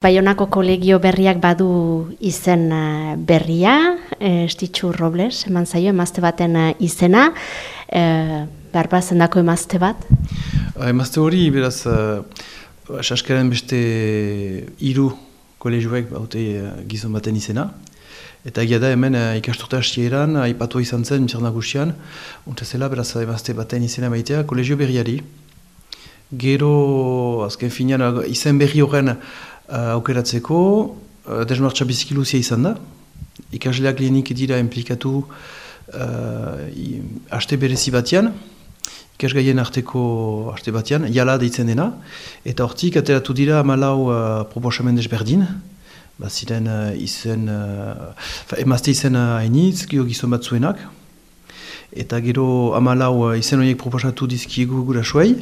Baionako kolegio berriak badu izen berria, Estitxu Robles, eman zaio emazte baten izena, barbazendako emazte bat? Emazte hori, beraz, saskaren beste 3 kolegioek baute gizon baten izena. Eta egia da hemen ikasturte hastieran, aipatua izan zen, Misar Nagusian, untezela beraz emazte baten izena maitea kolegio berriari. Gero, azken finean, izen berri horren aukeratzeko, desmartza biziki luzea izan da. Ikasleak lehenik dira implikatu haste berezi batean, ikasgaien arteko haste batean, jala deitzen dena, eta hortik ateratu dira 14 proposamen desberdin, ziren emazte izen hainitz, gizon batzuenak, eta gero 14 izen horiek proposatu dizkiegu gurasoei,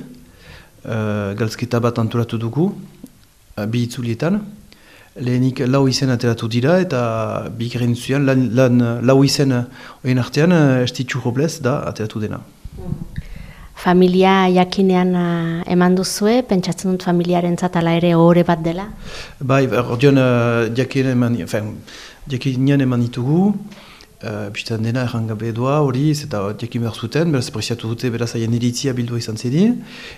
galtzketa bat antolatu dugu, 2 itzulietan. Lehenik 4 izen ateratu dira eta bigarren zuian, 4 izen horien artean Estitxu Robles da ateratu dena. Familia jakinean eman duzue, pentsatzen dut familiarentzat ala ere ohore bat dela? Bai, ordean jakinean eman ditugu, biztan dena errangabe doa hori, eta jakin behar zuten, beraz preziatu dute beraz haien iritzia bildua izan zedi,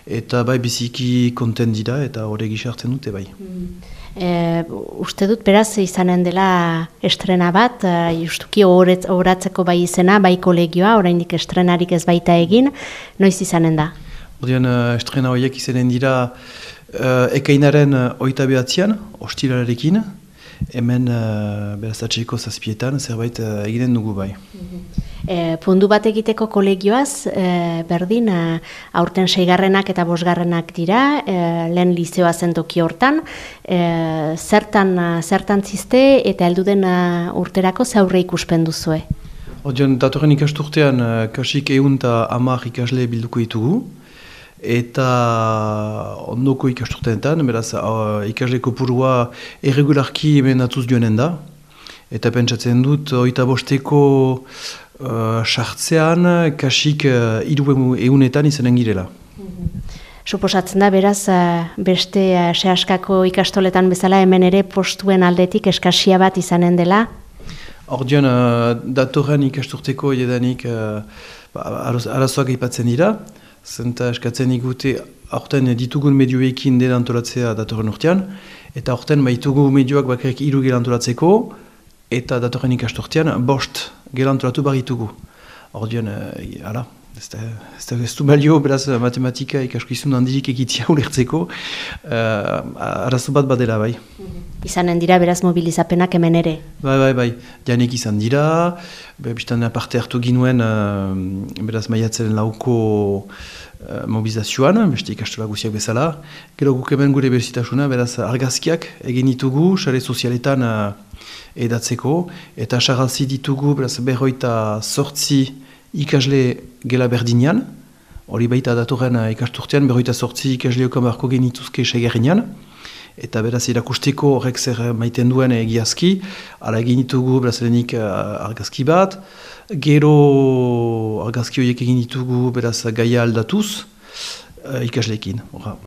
eta bai biziki konten dira eta hori gizartzen dute bai. Uste dut beraz izanen dela estrena bat, justuki horatzeko bai izena, bai kolegioa, oraindik estrenarik ez baita egin, noiz izanen da? Ordean estrena horiek izanen dira ekainaren 29an, ostiralarekin, hemen beraz atxeko 7etan zerbait egiten dugu bai. Pundu bat egiteko kolegioaz, berdin, aurten 6garrenak eta 5garrenak dira, lehen lizeoa zen toki hortan, zertan zizte eta helduden urterako zaurre ikuspen duzue? Ordean, datorren ikasturtean kasik 110 ikasle bilduko ditugu, eta ondoko ikasturteetan, beraz ikasle kopurua erregularki hemen atuz joanen da, eta pentsatzen dut 25eko sartzean kasik 300etan izanen girela. Suposatzen da, beraz, beste sehaskako ikastoletan bezala hemen ere postuen aldetik eskasia bat izanen dela? Ordean, datorren ikasturteko edanik arazoak aipatzen dira, zenta eskatzen igute aurten ditugun medioekin dela antolatzea datorren urtean, eta aurten baitugu medioak bakarrik 3 gela antolatzeko, eta datorren ikasturtean 5 gela antolatu baritugu. Ordean, ez du balio, beraz matematika ikaskizun handirik egitea ulertzeko, arazo bat badela bai. Izanen dira beraz mobilizapenak hemen ere? Bai, janek izan dira, biztan parte hartu ginuen beraz maiatzen 4ko mobilizazioan, beste ikastola guziak bezala. Gero guk hemen gure berezitasuna, beraz argazkiak egin ditugu, sare sozialetan edatzeko, eta sarrazi ditugu beraz 58 ikasle gela berdinean, hori baita datorren ikasturtean, 58 ikasle okamarko genituzke 6garrenean, eta beraz irakusteko horrek zer maiten duen egiazki, ala egin ditugu beraz lehenik argazki bat, gero argazki horiek egin ditugu beraz gaia aldatuz ikasleekin.